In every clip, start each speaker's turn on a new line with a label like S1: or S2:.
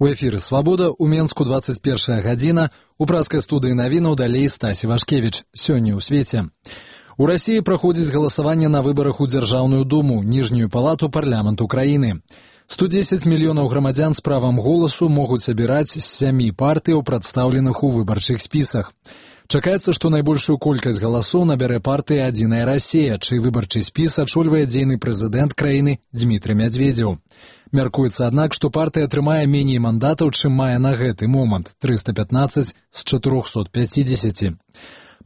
S1: У эфіры «Свабода» у Менску 21 гадзіна. У праскай студыі навінаў далей Стась Івашкевіч. Сёння ў свеце. У Расіі праходзіць галасаванне на выбарах у Дзяржаўную думу, ніжнюю палату парламенту краіны. 110 мільёнаў грамадзян з правам голасу могуць абіраць з 7 партыяў, прадстаўленых у выбарчых спісах. Чакаецца, што найбольшую колькасць галасоў набярэ партыя «Адзіная Расія», чый выбарчы спіс ачольвае дзейны прэзідэнт краіны Дзмітрый Мядзведзеў. Мяркуецца, аднак, што партыя атрымае меней мандатаў, чым мае на гэты момант – 315 з 450.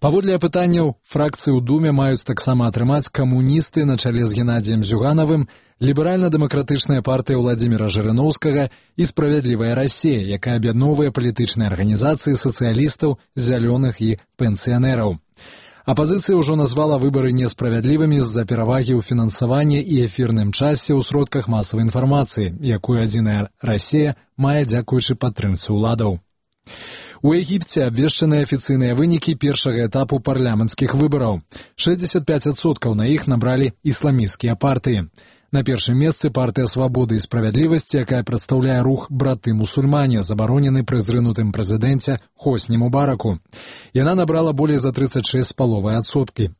S1: Паводле апытанняў, фракцыі ў Думе маюць таксама атрымаць камуністы на чале з Геннадзіем Зюганавым, ліберальна-дэмакратычная партыя Владзіміра Жырыноўскага і «Справядлівая Расія», якая аб'ядноўвае палітычныя арганізацыі сацыялістаў, зялёных і пенсіянераў. Апазіцыя ўжо назвала выбары несправядлівымі з-за перавагі ў фінансаванні і эфірным часе ў сродках масавай інфармацыі, якую «Адзіная Расія» мае дзякуючы падтрымцы ўладаў. У Егіпце абвешчаныя афіцыйныя вынікі першага этапу парламенцкіх выбараў. 65% на іх набралі ісламісцкія партыі. На першым месцы партыя «Свабоды і справядлівасці», якая прадстаўляе рух «Браты-мусульмане», забаронены пры зрынутым прэзідэнце Хосні Мубараку. Яна набрала болей за 36,5%.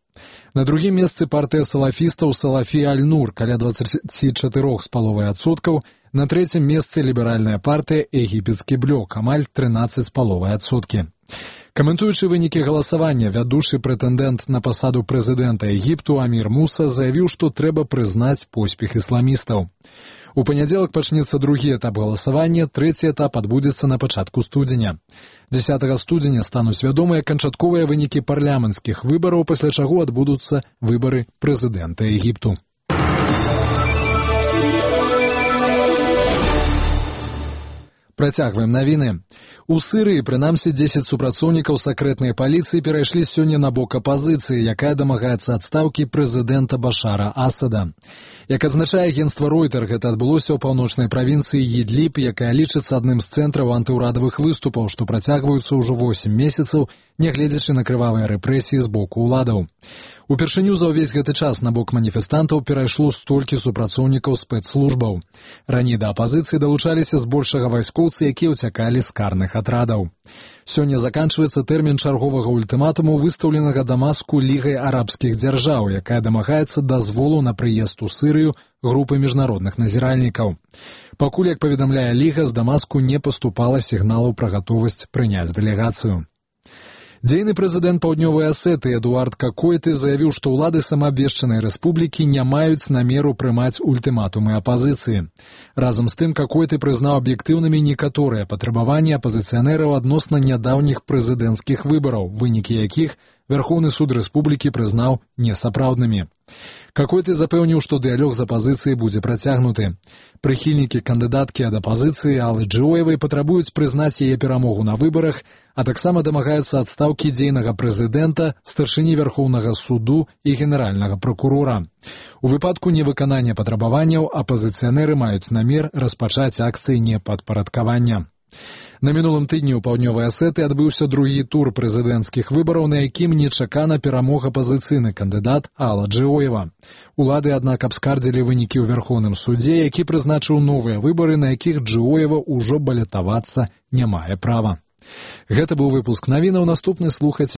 S1: На другім месцы партыя салафістаў «Салафі Аль-Нур» каля 24,5%. На трэцім месцы ліберальная партыя «Егіпецкі блок» амаль 13,5%. Каментуючы вынікі галасавання, вядучы прэтэндэнт на пасаду прэзідэнта Егіпту Амір Муса заявіў, што трэба прызнаць поспех ісламістаў. У панядзелак пачнецца другі этап галасавання, трэці этап адбудзецца на пачатку студзеня. 10 студзеня стануць вядомыя канчатковыя вынікі парламенцкіх выбараў, пасля чаго адбудуцца выбары прэзідэнта Егіпту. Працягваем навіны. У Сырыі, прынамсі, 10 супрацоўнікаў сакрэтнай паліцыі перайшлі сёння на бок апазіцыі, якая дамагаецца адстаўкі прэзідэнта Башара Асада. Як адзначае агенцтва Ройтер, гэта адбылося ў паўночнай правінцыі Ідліб, якая лічыцца адным з цэнтраў антыўрадавых выступаў, што працягваюцца ўжо 8 месяцаў, нягледзячы на крывавыя рэпрэсіі з боку ўладаў. Упершыню за ўвесь гэты час на бок маніфестантаў перайшло столькі супрацоўнікаў спецслужбаў. Раней да апазіцыі далучаліся збольшага вайскоўцы, якія ўцякалі з карных атрадаў. Сёння заканчваецца тэрмін чарговага ультыматуму, выстаўленага Дамаску Лігай арабскіх дзяржаў, якая дамагаецца дазволу на прыезд у Сырыю групы міжнародных назіральнікаў. Пакуль, як паведамляе Ліга, з Дамаску не паступала сігналаў пра гатовасць прыняць дэлегацыю. Дзейны прэзідэнт Паўднёвай Асетыі Эдуард Какойты заявіў, што ўлады самаабвешчанай рэспублікі не маюць намеру прымаць ультыматумы апазіцыі. Разам з тым, Какойты прызнаў аб'ектыўнымі некаторыя патрабаванні апазіцыянераў адносна нядаўніх прэзідэнцкіх выбараў, вынікі якіх Верхоўны суд рэспублікі прызнаў несапраўднымі. Какойты запэўніў, што дыялог з апазіцыяй будзе працягнуты. Прыхільнікі кандыдаткі ад апазіцыі Аллы Джоевай патрабуюць прызнаць яе перамогу на выбарах, а таксама дамагаюцца адстаўкі дзейнага прэзідэнта, старшыні Верхоўнага суду і генеральнага пракурора. У выпадку невыканання патрабаванняў апазіцыянеры маюць намер распачаць акцыі непадпарадкавання. На мінулым тыдні ў Паўднёвай Асетыі адбыўся другі тур прэзідэнцкіх выбараў, на якім нечакана перамог апазіцыйны кандыдат Алла Джоева. Улады, аднак, абскардзілі вынікі ў Верхоўным судзе, які прызначыў новыя выбары, на якіх Джоева ўжо балятавацца не мае права. Гэта быў выпуск навінаў, наступны слухаць